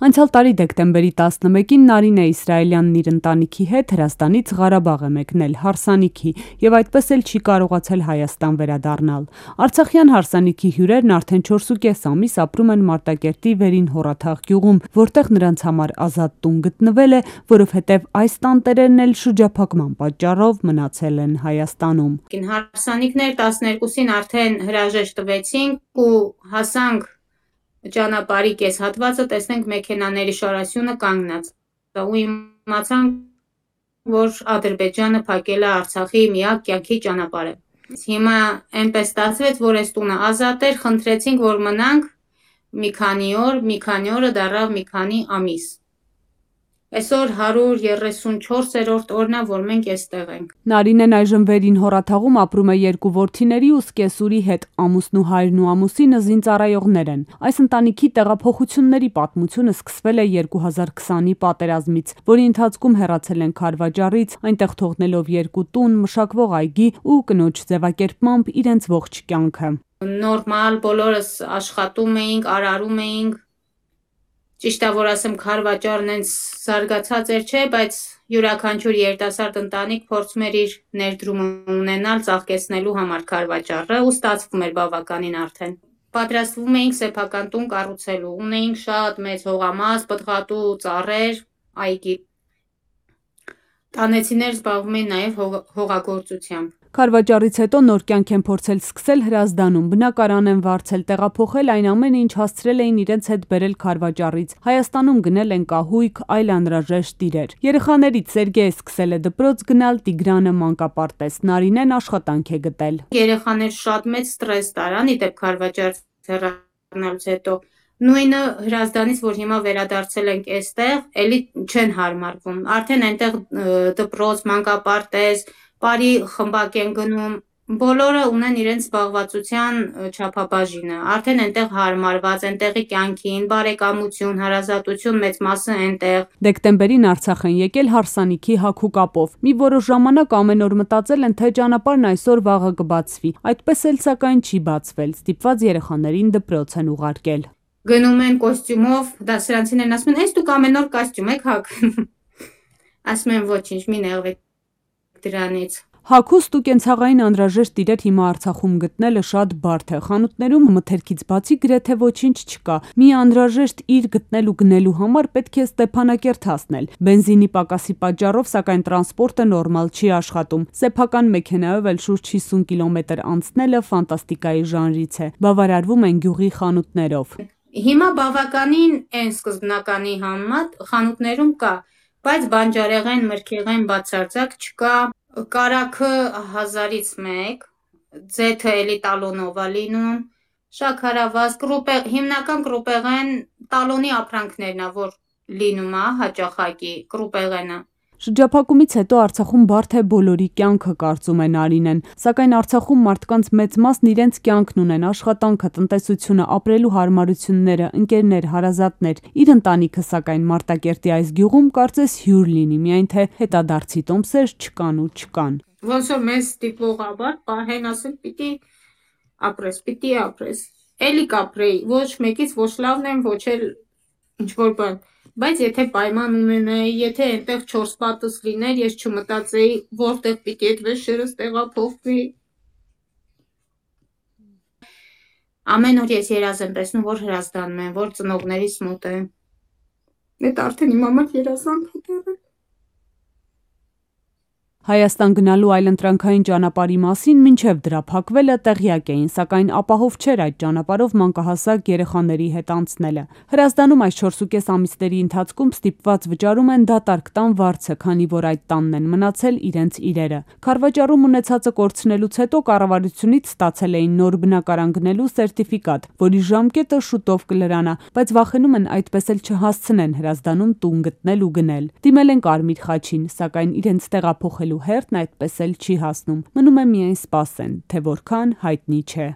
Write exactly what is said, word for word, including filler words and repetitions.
Անցյալ տարի դեկտեմբերի տասնմեկին Նարինե Իսրայելյանն իր ընտանիքի հետ Հրազդանից Ղարաբաղ է մեկնել հարսանիքի եւ այդպես էլ չի կարողացել Հայաստան վերադառնալ։ Արցախյան հարսանիքի հյուրերն արդեն չորսուկես ամիս ապրում են Մարտակերտի Վերին Հորաթաղ գյուղում, որտեղ նրանց համար ազատ տուն գտնվել է, որովհետեւ այս տանտերերն էլ շրջափակման պատճառով մնացել են Հայաստանում։ Հարսանիքներ տասներկուսին արդեն հրաժեշտ տվեցինք ու հասանք ճանապարհի կես հատվածը, տեսնենք մեքենաների շարասյունը կանգնած ու իմացանք, որ Ադրբեջանը փակել է Արցախի միակ կյանքի ճանապարհը։ Հիմա այնպես ստացվեց, որ այս տունը ազատ էր, խնդրեցինք, որ մնանք մի քանի օր, մի քանի օրը դառավ մի քանի ամիս։ Այսօր հարյուր երեսունչորսերորդ օրն է, որ մենք այստեղ ենք։ Նարինեն այժմ Վերին Հորաթաղում ապրում է երկու որդիների ու սկեսուրի հետ, ամուսնու հայրն ու ամուսինը զինծառայողներ են։ Այս ընտանիքի տեղափոխությունների պատմությունը սկսվել է երկու հազար քսանի պատերազմից, որի ընթացքում հեռացել են Քարվաճառից, այնտեղ թողնելով երկու տուն, մշակվող այգի ու կնոջ ձևակերպմամբ իրենց ողջ կյանքը։ Նորմալ բոլորս աշխատում էինք, արարում էինք։ Ճիշտ է, որ ասեմ, Քարվաճառն այնց զարգացած էր, չէ, բայց յուրաքանչյուր երիտասարդ ընտանիք փորձում էր իր ներդրումը ունենալ, ծաղկեցնելու համար Քարվաճառը ու ստացվում էր բավականին արդեն։ Պատրաստվում էինք սեփական տուն կառուցելու, ունեինք շատ մեծ հողամաս, պտղատու ծառեր, այգի։ Տանեցիներ զբաղվում էին նաև հողագործությամբ։ Քարվաճառից հետո նոր կյանք են փորձել սկսել Հրազդանում, բնակարան են վարձել, տեղափոխել, այն ամենը, ինչ հասցրել էին իրենց հետ բերել Քարվաճառից։ Հայաստանում գնել են կահույք, այլ անհրաժեշտ իրեր։ Երեխաներից Սերգեյը սկսել է դպրոց գնալ, Տիգրանը մանկապարտեզ, Նարինեն աշխատանք է գտել։ Երեխաներ շատ մեծ ստրես տարան, իդեպ Քարվաճառից հեռանալուց հետո։ Նույնը Հրազդանից, որ հիմա վերադարձել ենք այստեղ, էլի չեն հարմարվում։ Արդեն այնտեղ դպրոց, մանկապարտեզ, բարի խմբակ են գնում, բոլորը ունեն իրենց զբաղվածության չափաբաժինը, արդեն այնտեղ հարմարված, այնտեղի կյանքին, բարեկամություն, հարազատություն, մեծ մասը այնտեղ։ Դեկտեմբերին Արցախ են եկել հարսանիքի հագու կապով։ Մի որոշ ժամանակ ամեն օր մտածել են, թե ճանապարհն այսօր վաղը կբացվի։ Այդպես էլ սակայն չի բացվել, ստիպված երեխաներին դպրոց են ուղարկել։ Գնում են կոստյումով, դասարանցիներն ասում են, հենց դուք ամեն օր կոստյում եք հագնում։ Ասում են ոչինչ, մի նեղվեք դրանից։ Հագուստ ու կենցաղային անհրաժեշտ իրեր հիմա Արցախում գտնելը շատ բարդ է։ Խանութներում մթերքից բացի գրեթե ոչինչ չկա։ Մի անհրաժեշտ իր գտնել ու գնելու համար պետք է Ստեփանակերտ հասնել։ Բենզինի պակասի պատճառով սակայն տրանսպորտը նորմալ չի աշխատում։ Սեփական մեքենայով էլ շուրջ հիսուն կիլոմետր անցնելը ֆանտաստիկայի ժանրից է։ Բավարարվում են գյուղի խանութներով։ Հիմա բավականին այն սկզբնականի համեմատ խանութներում կա, բայց բանջարեղեն, մրգեղեն բացարձակ չկա։ Կարագը հազարից մեկ, ձեթը էլի տալոնով է լինում, շաքարավազ, կրուպեղ, հիմնական կրուպեղեն տալոնի ապրանքներն է, որ լինում է հաճախակի կրուպեղենը։ Շրջափակումից հետո Արցախում բարդ է բոլորի կյանքը, կարծում է Նարինեն, սակայն Արցախում մարդկանց մեծ մասն իրենց կյանքն ունեն, աշխատանքը, տնտեսությունը, ապրելու հարմարությունները, ընկերներ, հարազատներ։ Իր ընտանիքը սակայն Մարտակերտի այս գյուղում կարծես հյուր լինի, միայն թե հետադարձի տոմսեր չկան ու չկան։ Ոնց որ մեզ ստիպող ավար, պահեն ասել պիտի ապրես, պիտի ապրես։ Էլի կապրեի, ոչ մեկից ոչ լավն եմ, ոչ էլ ինչ-որ բան։ Բայց եթե պայման ունենայի, եթե այնտեղ չորս պատս լիներ, ես չմտածեի, որտեղ պիտի այդ վեշերս տեղափոխվի։ Ամեն օր ես երազ եմ տեսնում, որ Հրազդանում եմ, որ ծնողներիս մոտ եմ։ Այդ արդեն իմ համար երազանք է։ Հայաստան գնալու այլընտրանքային ճանապարհի մասին մինչև դրա փակվելը տեղյակ էին, սակայն ապահով չէր այդ ճանապարհով մանկահասակ երեխաների հետ անցնելը։ Հրազդանում այս չորսուկես ամիսների ընթացքում ստիպված վճարում են դատարկ տան վարձը, քանի որ այդ տանն են մնացել իրենց իրերը։ Քարվաճառում ունեցածը կորցնելուց հետո կառավարությունից ստացել էին նոր բնակարան գնելու սերտիֆիկատ, որի ժամկետը շուտով կլրանա, բայց վախենում են այդպես էլ չհասցնեն Հրազդանում տուն գտնել ու գնել։ Դիմել են Կարմիր խաչին, սակայն իրենց տեղափոխել հերթն այդպես էլ չի հասնում։ Մնում է միայն սպասեն, թե որքան հայտնի չէ։